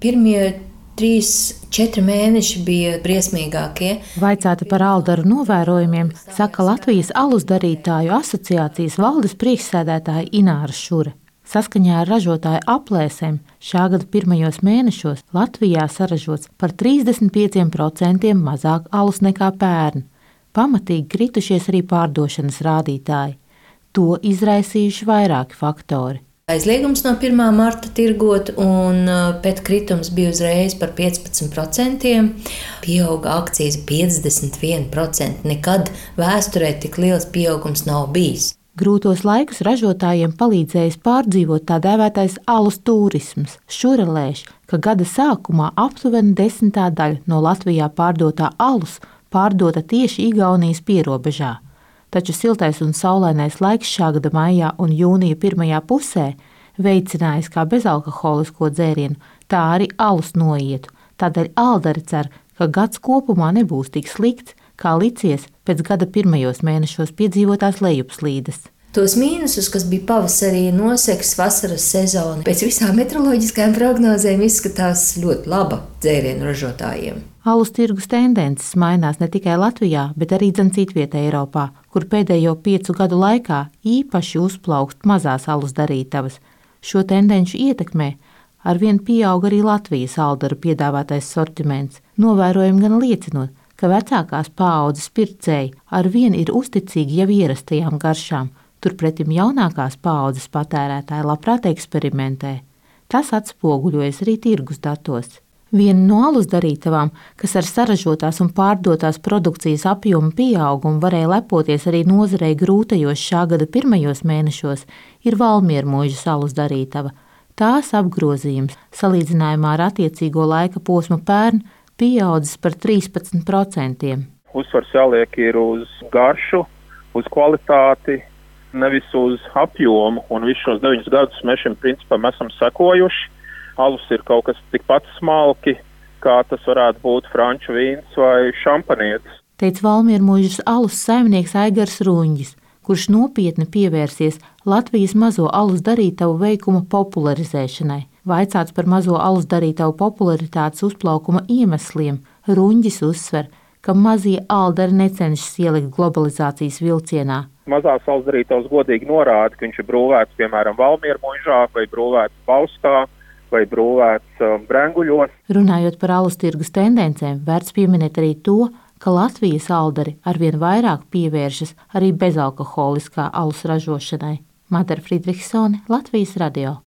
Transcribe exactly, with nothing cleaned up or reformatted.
Pirmie trīs, četri mēneši bija briesmīgākie. Vaicāta par aldaru novērojumiem, saka Latvijas alus darītāju asociācijas valdes priekšsēdētāja Ināra Šure. Saskaņā ar ražotāju aplēsēm šā gada pirmajos mēnešos Latvijā saražots par trīsdesmit pieciem procentiem mazāk alus nekā pērn. Pamatīgi kritušies arī pārdošanas rādītāji. To izraisījuši vairāki faktori. Aizliegums no pirmā marta tirgot, un pēc kritums bija uzreiz par piecpadsmit procentiem. Pieauga akcijas piecdesmit viens procents. Nekad vēsturē tik liels pieaugums nav bijis. Grūtos laikus ražotājiem palīdzējis pārdzīvot tā dēvētais alus turisms. Šure lēš, ka gada sākumā aptuveni desmitā daļa no Latvijā pārdotā alus pārdota tieši Igaunijas pierobežā. Taču siltais un saulainais laiks šā gada maijā un jūnija pirmajā pusē veicinājis kā bezalkoholisko dzērienu, tā arī alus noietu. Tādēļ aldari cer, ka gads kopumā nebūs tik slikts, kā licies pēc gada pirmajos mēnešos piedzīvotās lejupslīdes. Tos mīnusus, kas bija pavasarī, noseks vasaras sezonu, pēc visām meteoroloģiskajām prognozēm izskatās ļoti laba dzērienu ražotājiem. Alus tirgus tendences mainās ne tikai Latvijā, bet arī dzen citvietē Eiropā, kur pēdējo piecu gadu laikā īpaši uzplaukst mazās alus darītavas. Šo tendenci ietekmē arvien pieaug arī Latvijas aldaru piedāvātais sortiments, novērojumi gan liecinot, ka vecākās paaudzes pircēji arvien ir uzticīgi jau ierastajām garšām, turpretim jaunākās paaudzes patērētāji labprāt eksperimentē. Tas atspoguļojas arī tirgus datos. Viena no alus darītavām, kas ar saražotās un pārdotās produkcijas apjomu pieaugumu varēja lepoties arī nozarei grūtajos šā gada pirmajos mēnešos, ir Valmiermuižas alus darītava. Tās apgrozījums, salīdzinājumā ar attiecīgo laika posmu pērn, pieaudzis par trīspadsmit procentiem. Uzsvars jāliek ir uz garšu, uz kvalitāti, nevis uz apjomu, un visus šos deviņus gadus mēs šim principam esam sekojuši. Alus ir kaut kas tikpat smalki, kā tas varētu būt franču vīns vai šampanietis. Teica Valmiermuižas alus saimnieks Aigars Ruņģis, kurš nopietni pievērsies Latvijas mazo alus darītavu veikuma popularizēšanai. Vaicāts par mazo alus darītavu popularitātes uzplaukuma iemesliem, Ruņģis uzsver, ka mazie aldari necenšas ielikt globalizācijas vilcienā. Mazās alus darītavas godīgi norāda, ka viņš ir brūvēts, piemēram, Valmiermuižā vai brūvēts Bauskā vai brūvēts um, Brenguļos. Runājot par alus tirgus tendencēm, vērts pieminēt arī to, ka Latvijas aldari arvien vairāk pievēršas arī bezalkoholiskā alus ražošanai. Madara Friedrichsone, Latvijas radio.